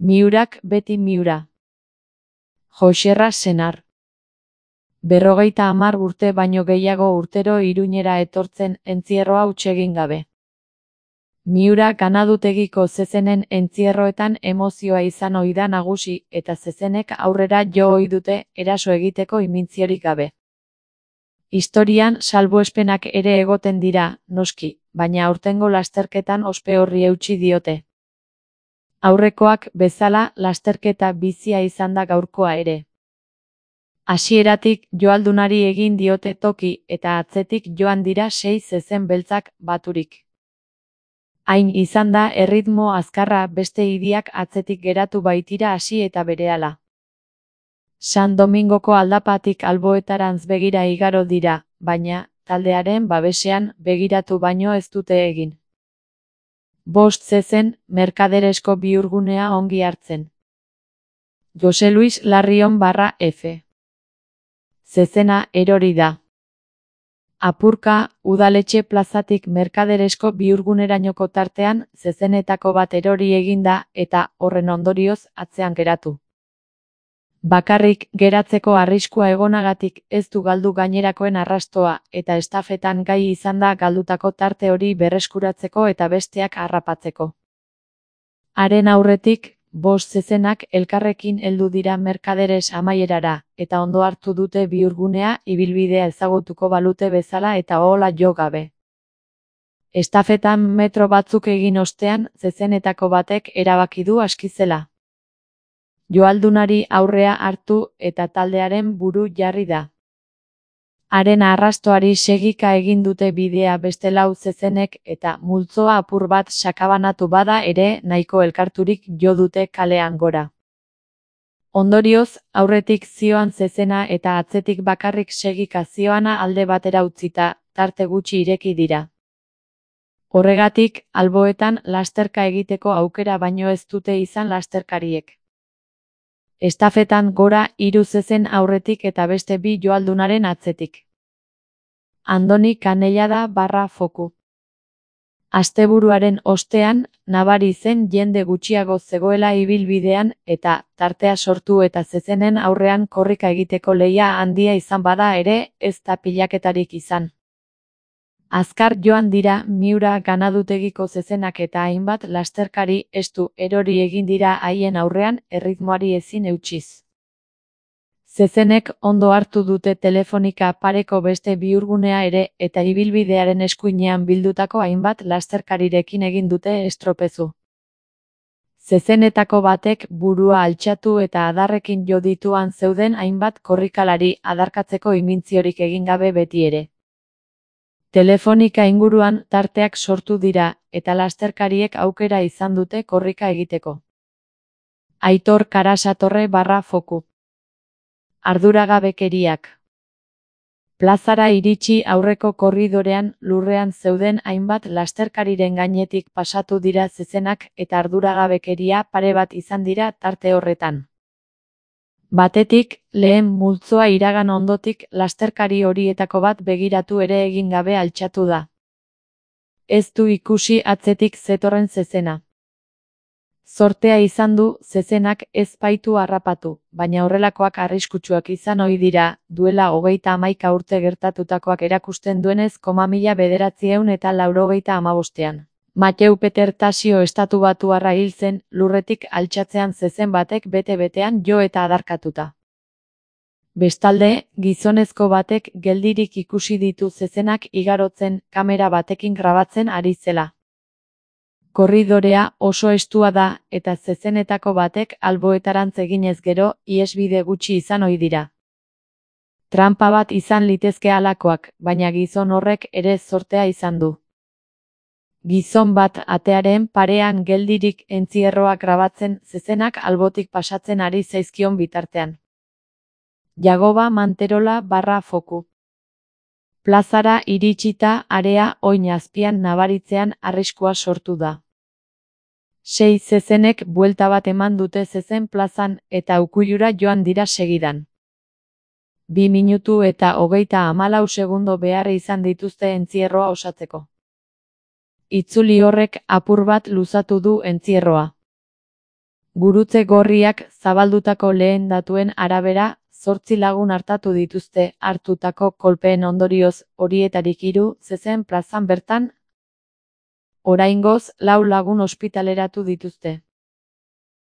Miurak beti miura. Joxerra senar. 50 urte baino gehiago urtero Iruñera etortzen entzierroa huts egin gabe. Miura ganadutegiko zezenen entzierroetan emozioa izan ohi da nagusi eta zezenek aurrera jo ohi dute eraso egiteko imintziorik gabe. Historian salbuespenak ere egoten dira, noski, baina aurtengo lasterketan ospe horri eutsi diote. Aurrekoak bezala lasterketa bizia izan da gaurkoa ere. Hasieratik joaldunari egin diote toki eta atzetik joan dira 6 zezen beltzak baturik. Hain izan da erritmo azkarra beste hiriak atzetik geratu baitira hasi eta berehala. San Domingoko aldapatik alboetarantz begira igaro dira, baina, taldearen babesean begiratu baino ez dute egin. 5 zezen, Merkaderesko bihurgunea ongi hartzen. Jose Luis Larrion /F. Zezena erori da. Apurka, udaletxe plazatik Merkaderesko bihurgunerainoko tartean zezenetako bat erori eginda eta horren ondorioz atzean geratu. Bakarrik geratzeko arriskua egonagatik ez du galdu gainerakoen arrastoa eta estafetan gai izan da galdutako tarte hori berreskuratzeko eta besteak harrapatzeko. Haren aurretik, 5 zezenak elkarrekin heldu dira Merkaderes amaierara eta ondo hartu dute bihurgunea ibilbidea ezagutuko balute bezala eta ohola jo gabe. Estafetan metro batzuk egin ostean zezenetako batek erabaki du aski zela. Joaldunari aurrea hartu eta taldearen buru jarri da. Haren arrastoari segika egin dute bidea beste 4 zezenek eta multzoa apur bat sakabanatu bada ere nahiko elkarturik jo dute kalean gora. Ondorioz, aurretik zioan zezena eta atzetik bakarrik segika zioana alde batera utzita, tarte gutxi ireki dira. Horregatik, alboetan lasterka egiteko aukera baino ez dute izan lasterkariek. Estafetan gora 3 zezen aurretik eta beste 2 joaldunaren atzetik. Andoni Canellada /Foku. Asteburuaren ostean, nabari zen jende gutxiago zegoela ibilbidean eta tartea sortu eta zezenen aurrean korrika egiteko lehia handia izan bada ere ez da pilaketarik izan. Azkar joan dira Miura ganadutegiko zezenak eta hainbat lasterkari estu erori egin dira haien aurrean erritmoari ezin eutsiz. Zezenek ondo hartu dute Telefonika pareko beste bihurgunea ere eta ibilbidearen eskuinean bildutako hainbat lasterkarirekin egin dute estropezu. Zezenetako batek burua altxatu eta adarrekin jo dituan zeuden hainbat korrikalari adarkatzeko imintziorik egin gabe beti ere. Telefonika inguruan tarteak sortu dira eta lasterkariek aukera izan dute korrika egiteko. Aitor Karasatorre /Foku. Arduragabekeriak. Plazara iritsi aurreko korridorean lurrean zeuden hainbat lasterkariren gainetik pasatu dira zezenak eta arduragabekeria pare bat izan dira tarte horretan. Batetik, lehen multzoa iragan ondotik lasterkari horietako bat begiratu ere egin gabe altxatu da. Ez du ikusi atzetik zetorren zezena. Zortea izan du zezenak ez baitu harrapatu, baina horrelakoak arriskutsuak izan ohi dira, duela 31 urte gertatutakoak erakusten duenez 1985. Mateu Peter Tasio estatubatuarra hil zen, lurretik altxatzean zezen batek bete-betean jo eta adarkatuta. Bestalde, gizonezko batek geldirik ikusi ditu zezenak igarotzen kamera batekin grabatzen ari zela. Korridorea oso estua da eta zezenetako batek alboetarantz eginez gero ihesbide gutxi izan ohi dira. Tranpa bat izan litezke halakoak, baina gizon horrek ere zortea izan du. Gizon bat atearen parean geldirik entzierroa grabatzen zezenak albotik pasatzen ari zaizkion bitartean. Jagoba Manterola /Foku. Plazara iritsita area oin azpian nabaritzean arriskua sortu da. 6 zezenek buelta bat eman dute zezen plazan eta ukuilura joan dira segidan. 2 minutu eta 34 segundo behar izan dituzte entzierroa osatzeko. Itzuli horrek apur bat luzatu du entzierroa. Gurutze Gorriak zabaldutako lehen datuen arabera, 8 lagun artatu dituzte hartutako kolpeen ondorioz, horietarik 3 zezen plazan bertan. Oraingoz, 4 lagun ospitaleratu dituzte.